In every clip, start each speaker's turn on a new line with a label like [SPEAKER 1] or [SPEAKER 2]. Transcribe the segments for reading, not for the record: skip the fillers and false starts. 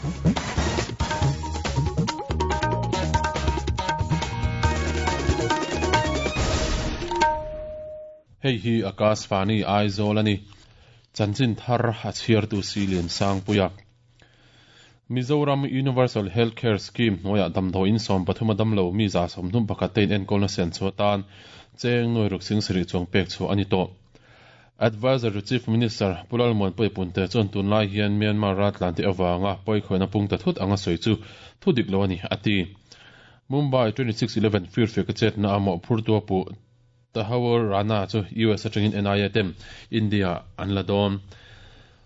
[SPEAKER 1] Hei hi Akashvani Aizawl a ni. Chanchin thar a chhiartu Silian Sangpuia. Mizoram Universal Health Care Scheme hnuaiah damdawiin 13 a damlo mi 31 te inenkawlna siam chhuah atan cheng nuai ruk sing sarih chuang pek chhuah a ni tawh. Adviser to Chief Minister Pu Lalmuanpuia Punte chuan tunlai hian Myanmar raltlan te avanga pawikhawihna pung ta thut anga sawi chu thu dik lo a ni, a ti. Mumbai 26/11 firfiak a chetna a mawhphurtu a puh Tahawur Rana chu US atangin NIA ten India an la dawn.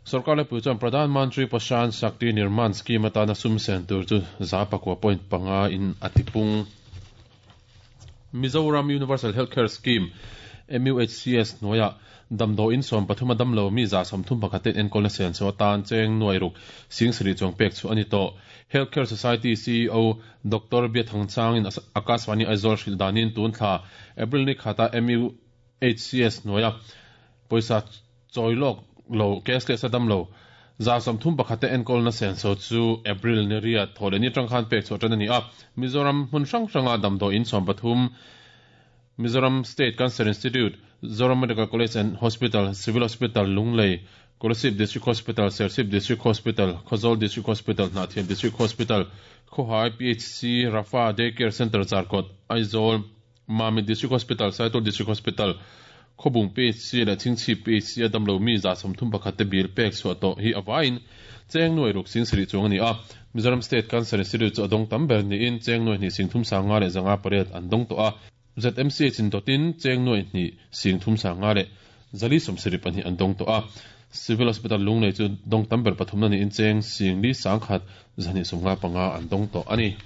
[SPEAKER 1] Sorkar laipui chuan Pradhan Mantri Poshan Shakti Nirman Scheme atana sum sen tur chu 9.5 in a tipung. Mizoram Universal Healthcare Scheme, MUHCS, hnuaiah damdawiin 13 a damlo mi 31 ten enkawlna siam chhuah atan cheng nuai ruk sing sarih chuang pek chhuah a ni tawh. Healthcare Society CEO Doctor Biathang Changin Akashvani Aizawl hrilh danin tun thla April ni khata MUHCS hnuaia pawisa chawi lawk lo cashless a damlo 31 te enkawlna senso chu April ni riat thaw leh ni atang khan pek chhuah tan a ni a. Mizoram hmun hrang hranga damdawiin 13 Mizoram State Cancer Institute, Zoram Medical College and Hospital, Civil Hospital, Lunglei, Kolasib District Hospital, Serchhip District Hospital, Khawzawl District Hospital, Hnahthial District Hospital, Khawhai PHC, Rafa Day Care Centre, Zarkawt, Aizawl, Mamit District Hospital, Saitual District Hospital, Khawbung PHC leh Chhingchhip PHC a damlo mi 31 te bill pek chhuah tawh hi a vaiin cheng nuai ruk sing sarih chuang a ni a. Mizoram State Cancer Institute chu a dawng tam ber niin cheng nuai hnih sing thum sanga leh zanga pariat an dawng tawh a. ZMCH in dawtin cheng nuai hnih sing thum sanga leh zali sawmsarih pahnih an dawng tawh a. Civil Hospital Lunglei chu dawng tam ber pathumna niin cheng sing li sangkhat zahnih sawmnga panga an dawng tawh a ni.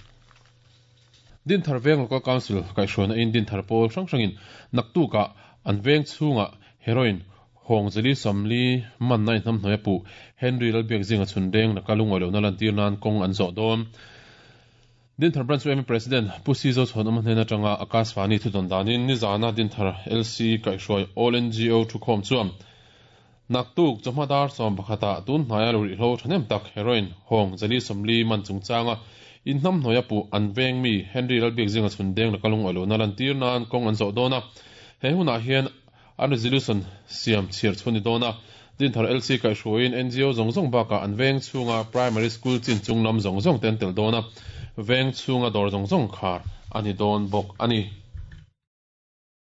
[SPEAKER 1] Dinthar Veng Local Council kaihhruaina in Dinthar pawl hrang hrangin naktukah an veng chhungah heroin Hawng Zali Sawmli manna in hnamhnuai a puh Henry Lalbiak zinga chhun deng laka lungawi lohna lantir nan kawng an zawh dawn. Dinthar Branch YMA President Pu Sizo Chhuanawma hnen atanga Akashvani thudawn danin nizana Dinthar LC kaihhruai All NGO thukhawm chuan naktuk chawhma dar 11 ah tun hnaia lo rihhlo thahnem tak heroin Hawng Zali Sawmli man chungchanga in hnamhnuai a puh an veng mi Henry Lalbiak zinga chhun deng laka lungawi lohna lantir nan kawng an zawh dawn a. He hunah hian An resolution siam chhiar chhuah ni dawn a, Dinthar LC kaihhruaiin NGO zawng zawng bakah an veng chhunga primary school chin chung lam zawng zawng te an tel dawn a, veng chhunga dawr zawng zawng khar a ni dawn bawk a ni.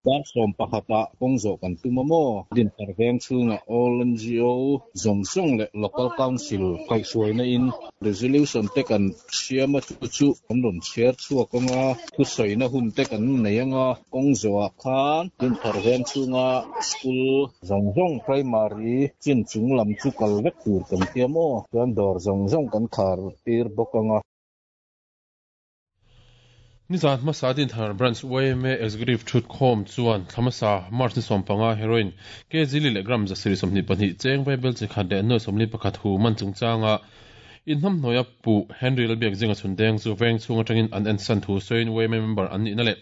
[SPEAKER 2] Dar 11 ah kawng zawh kan tum a maw? Dinthar veng chhunga all NGO zawng zawng leh Local Council kaihhruaina in Resolution te kan siam a chu chu kan rawn chhiar chhuak ang a, thusawina hun te kan nei ang a, kawng zawhah khan Dinthar veng chhunga school zawng zawng primary chin chung lam chu kal vek tur kan tia maw? Chuan dawr zawng zawng kan khar tir bawk ang a.
[SPEAKER 1] Nizan hmasa Dinthar Branch yma Executive Thutkhawm chuan thla hmasa March ni 15 heroin kg li leh gram 722 cheng vaibel chi khat leh nuai 41 hu man chungchanga inhnamhnuaia puh Henry Lalbiak zinga chhun deng chu veng chhung atangin an ensan thu sawiin yma member an nihna leh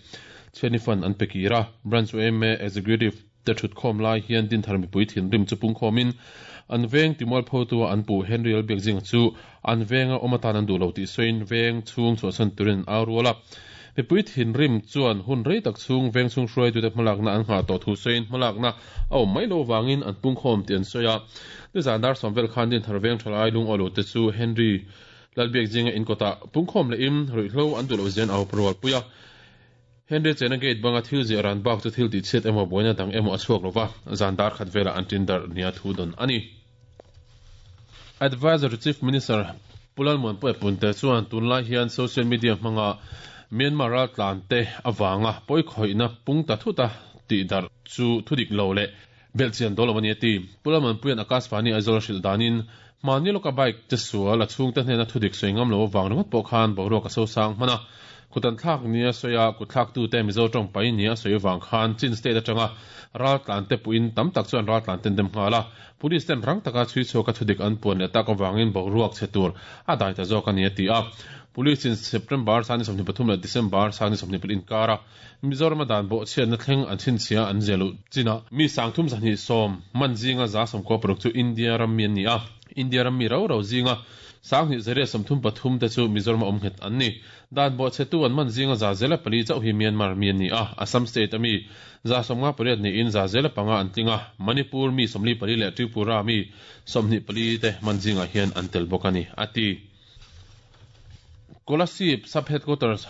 [SPEAKER 1] chhiatni fund an pe kir a. Branch yma Executive te thutkhawm lai hian Dinthar mipui thinrim chu pungkhawmin an veng timualphotua an puh Henry Lalbiak zinga chu an venga awm atan an duh lo tih sawiin veng chhung chhuahsan turin an au rual a. Mipui thinrim chuan hun rei tak chhung veng chhung hruaitute hmalakna an nghah tawh thu sawiin hmalakna a awm mai lo vangin an pungkhawm tih an sawi a. Nizan dar 10 vel khan Dinthar veng thalai lungawi lote chu Henry Lalbiak zinga inkawtah pungkhawm lehin ruihhlo an duh loh zian au rualpui a. Henry chena gate banga thil ziah ran bak chu thil tihchhiat emaw buaina dang emaw a chhuak lova, zan dar khat velah an tin darh nia thu dawn a ni. Adviser to Chief Minister Pu Lalmuanpuia Punte chuan tunlai hian social media hmanga Myanmar raltlan te avanga pawikhawihna pung ta thuta tih darh chu thudik lo leh belhchian dawl lo a ni a ti. Pu Lalmuanpuia'n Akashvani Aizawl a hrilh danin hmani lawka bike che sual a chhungte hnena thudik sawi ngam lo avang ringawt pawh khan boruak a sosang hman a. Kut an thlak nia sawi a, kut thlaktute Mizo tawng pai nia sawi avang khan Chin State atanga raltlan te puiin tam tak chuan raltlan ten dem nghal a. Police ten rang taka chhui chhuaka thudik an puan leh tak avangin boruak chhe tur a dai ta zawk a ni a ti a. Police in September sani 23 leh December sani 24 inkara Mizoram a dan bawhchhiatna thleng an chhinchhia an ziah luh chinah mi sangthum zahnih sawm man zinga 196 chu India ram mi an ni a. India ram mi rau rau zinga 2833 te chu Mizoram-a awm nghet an ni. Dan bawhchhetu an man zinga 404 chauh hi Myanmar mi an ni a, Assam state a mi 58 niin 5% an tling a, Manipur mi 44 leh Tripura mi 24 te man zingah hian an tel bawk a ni, a ti. Kolasib Sub-Headquarters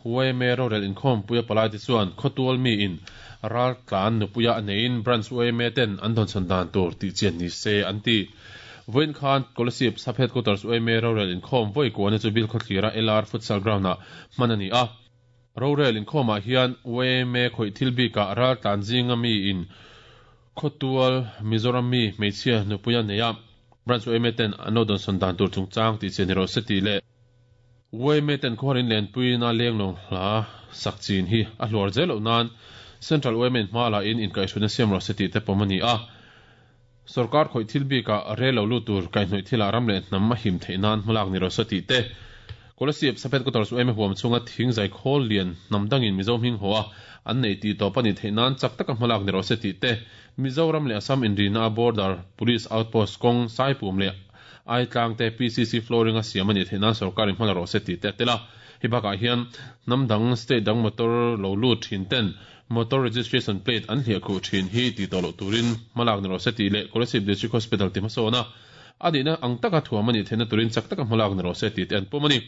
[SPEAKER 1] yma rorel inkhawmpuia palaite chuan khawtual miin raltlan nupuia a neiin Branch yma ten an dawnchhawn dan tur tihchian ni se an ti. Vawiin khan Kolasib Sub-Headquarters yma rorel inkhawm vawi kuahna chu Bilkhawthlira LR Futsal Ground-ah hman a ni a. Rorel inkhawmah hian yma khawih thil bikah raltlan zinga miin Khawtual Mizoram mi hmeichhia nupuia neia Branch yma ten an lo dawnsawn dan tur chungchang tih chian ni rawh se tih leh yma ten khawhar in lenpuina lenglawng hla sak chin hi a hluar zel loh nan Central yma in hma la in inkaihhruaina siam rawh se tih te pawm a ni a. Sorkar khawih thil bikah rel lo lut tur kaihhnawih thilah ram leh hnam a him theih nan hmalak ni rawh se tih te Kolasib Saphet Quarters yma huam chhunga thing zai khawl lian hnam dangin Mizo hming haw a an nei tih tawp a nih theih nan chak taka hmalak ni rawh se tih te Mizoram leh Assam inrina a Border Police Outpost kawng Saipum leh Aitlang te PCC flooring a siam a nih theih nan sorkar in hmala rawh se tih te a tel a. Hei bakah hian hnam dang state dang motor lo lut thin ten motor registration plate an hliah khuh thin hi tih tawh loh turin hmalak ni rawh se tih leh Kolasib District Hospital ti hmasawn a a nihna ang taka thuam a nih theihna turin chak taka hmalak ni rawh se tih te an pawm a ni.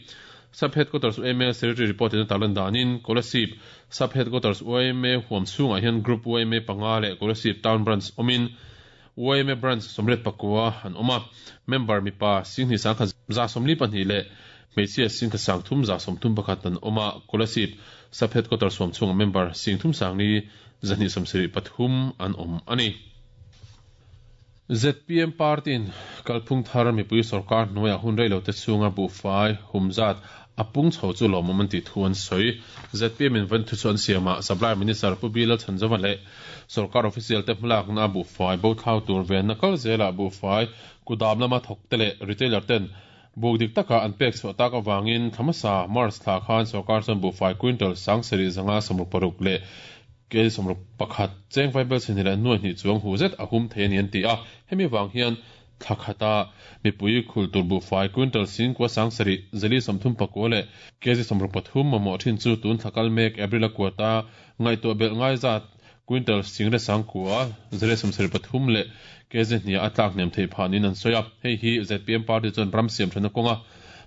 [SPEAKER 1] Sub Headquarters yma Secretary report in a tarlan danin Kolasib Sub Headquarters yma huam chhungah hian Group yma panga leh Kolasib Town Branch awmin yma Branch 84 an awm a, member mipa 21,142 leh hmeichhia 13,131 an awm a, Kolasib Sub Headquarters huam chhungah member 3,273 an awm a ni. Zpm party-in kalphung thar mipui sorkar hnuaiah hun reilote chhunga buhfai hum zat a pung chho chu lawmawm an tih thu an sawi. Zpm-in vawiin thu chu an siamah Supply Minister Pu Bilal Chhanzova leh sorkar official te hmalakna a buhfai bo thlau tur venna kal zelah buhfai kudam lama thawkte leh retailer ten buk dik taka an pek chhuah tak avangin thla hmasa March thla khan sorkar chuan buhfai quintal 76,6 leh Kei 61 cheng vaibel chhehni leh nuai hnih chuang hu zet a hum thei a ni an ti a, hemi vang hian thla khata mipui khul tur buhfai quintal 9734 leh kg 63 mamawh thin chu tun thla kal mek April a kuata ngaihtuah belh ngai zat quintal 10,973 leh kg hniah a tlak hnem theih phah niin an sawi a, hei hi zpm party chuan ram siam thana kawnga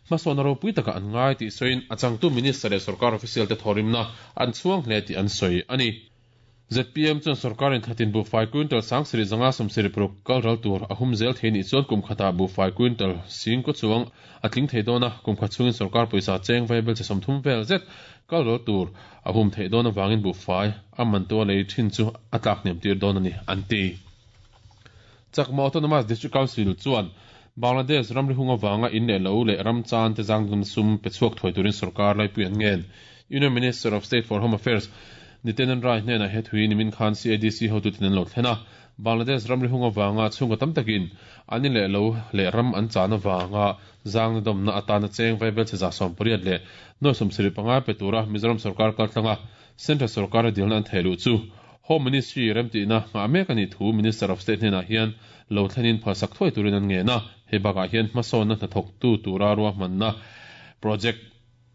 [SPEAKER 1] Hmasawnna ropui takah an ngai tih sawiin a changtu Minister leh sorkar official te thawhrimna an chhuang hle tih an sawi a ni. Zpm chuan sorkarin thlatin buhfai quintal 7576 kal ral tur a hum zel thei nih chuan kum khatah buhfai quintal singkaw chuang a tling thei dawn a, kum khat chhungin sorkar pawisa cheng vaibel che 30 vel zet kal ral tur a hum theih dawn avangin buhfai a mantua lei thin chu a tlak hniam tir dawn a ni, an ti. Chakma Autonomous District Council chuan Bangladesh ramri hung avanga in leh lo leh ram chan te zangdamna sum pe chhuak thuai turin sorkar laipui an ngen. Union Minister of State for Home Affairs Nityanand Rai hnenah he thui nimin khan CADC hotuten an lo thlen a. Bangladesh ramri hung avanga chhungkaw tam takin an in leh lo leh ram an chan avanga zangna dawmna atana cheng vaibel che 870,75 pe tura Mizoram sorkar kaltlanga Central sorkara dilna an theih luh chu Home Ministry remtihna nghah mek a nih thu Minister of State hnenah hian lo thlenin phalsak thuai turin an ngen a, hei bakah hian hmasawnna hnathawktu tura ruahmanna project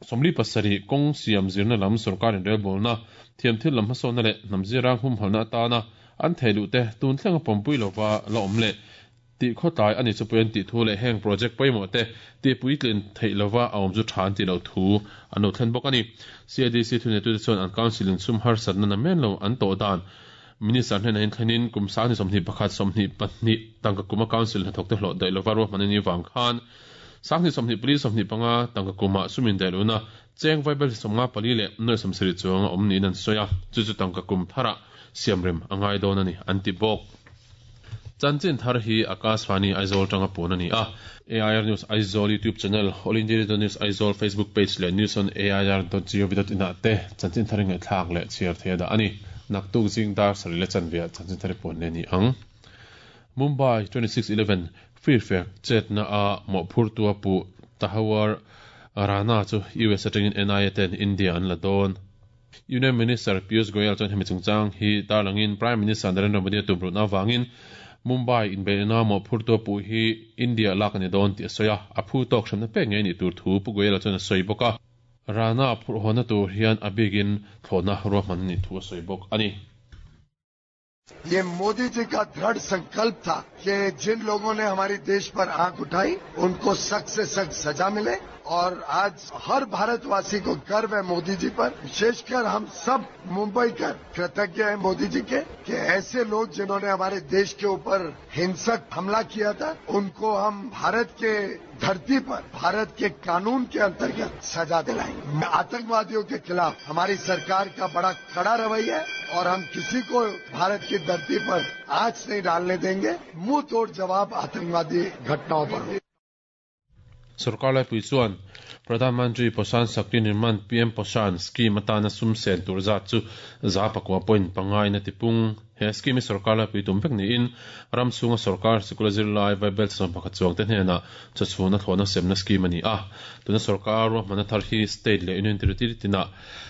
[SPEAKER 1] 47 kawng siam zirna lam sorkar inrelbawlna, thiamthil lam hmasawnna leh hnam zirang humhalhna atana an theih luh te tun thlenga pawmpui lova la awm leh Tih khawtlai a ni chu pawh an tih thu leh heng project pawimawh te tih puitlin theih lova a awm chu tha an tih loh thu an lo thlen bawk a ni. CADC thuneitute chuan an council in sum harsatna na men lo an tawh dan Minister hnenah in thlenin kum 2021 22 tangka kuma council hnathawkte hlawh daih lova ruahman a nih vang khan 2024 25 tangka kumah sum indaih lohna cheng vaibel hi 54 leh nuai 70 chuang a awm niin an sawi a, chu chu tangka kum tharah siamrem a ngai dawn a ni an ti bawk. Chanchin thar hi Akashvani Aizawl tanga puan a ni a. AIR News Aizawl YouTube channel, All India Radio News Aizawl Facebook page leh News on AIR dot gov dot in ah te chanchin thar i ngaihthlak leh chhiar thei a dah a ni. Naktuk zing dar sarih leh chanve ah chanchin thar i puan leh a ni ang. Mumbai 26/11 Firfek chetna a mawhphurtu a puh Tahawar Rana chu US atangin NIA ten India an la dawn. Union Minister Piyush Goyal chuan hemi chungchang hi tarlangin Prime Minister Narendra Modi a tumruhna avangin Mumbai inbeihna mawhphurtu a puh hi India lak a ni dawn tih a sawi a, a phu tawk hremna pek ngei a nih tur thu Pu Goyal-a chuan a sawi bawk a. Rana a phurh hawnna tur hian a bikin thlawhna ruahman a nih thu a sawi bawk a ni.
[SPEAKER 3] ये मोदी जी का दृढ़ संकल्प था कि जिन लोगों ने हमारे देश पर आंख उठाई उनको सख्त से सख्त सजा मिले और आज हर भारतवासी को गर्व है मोदी जी पर विशेषकर हम सब मुंबई कर कृतज्ञ हैं मोदी जी के कि ऐसे लोग जिन्होंने हमारे देश के ऊपर हिंसक हमला किया था उनको हम भारत के धरती पर भारत के कानून के अंतर्गत सजा दिलाएंगे आतंकवादियों के खिलाफ हमारी सरकार का बड़ा कड़ा रवैया है और हम किसी को भारत की धरती पर आंच नहीं डालने देंगे मुंह तोड़ जवाब आतंकवादी घटनाओं पर हो
[SPEAKER 1] Sorkar laipui chuan Pradhan Mantri Poshan Shakti Nirman, PM Poshan, scheme atana sum sen tur zat chu 9.5 in a tipung. He scheme hi sorkar laipui tum vek niin ram chhunga sorkar sikula zirlai vaibel 11 chuang te hnenah chawchhuna thlawhna semna scheme a ni a. Tuna sorkar ruahmanna thar hi state leh union territory tinah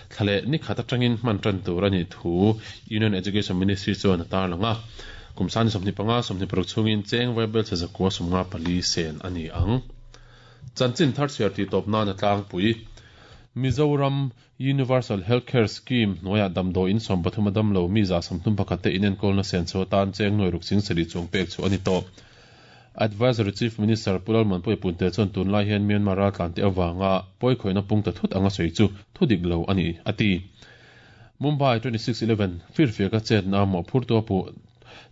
[SPEAKER 1] thla leh ni khat atangin hman tan tur a nih thu Union Education Ministry chuan a tarlang a. Kum sani 25, 26 chhungin cheng vaibel 954 sen a ni ang. Chanchin thar chhiar tih tawp nan a tlangpui. Mizoram Universal Health Care Scheme hnuaiah damdawiin 33 a damlo mi 31 te inenkawlna senchho atan cheng nuai ruk ching sarih chuang pek chu a ni tawh. Advisory Chief Minister Pu Lalmuanpuia Punte chuan tunlai hian Myanmar raltlante avanga pawikhawihna pung ta thut anga sawi chu thudik lo a ni, a ti. Mumbai 26 11 firfiaka chetna mawhphurtu a puh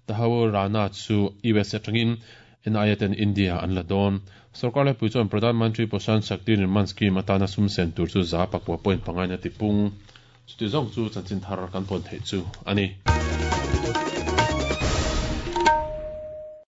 [SPEAKER 1] Tahawur Rana chu US atangin NIA ten India an la dawn. Sorkar laipui chuan Pradhan Mantri Poshan Shakti Nirman Scheme atana sum sen tur chu 9.5 in a tipung. Chuti zawng chu chanchin thar kan pawn theih chu a ni.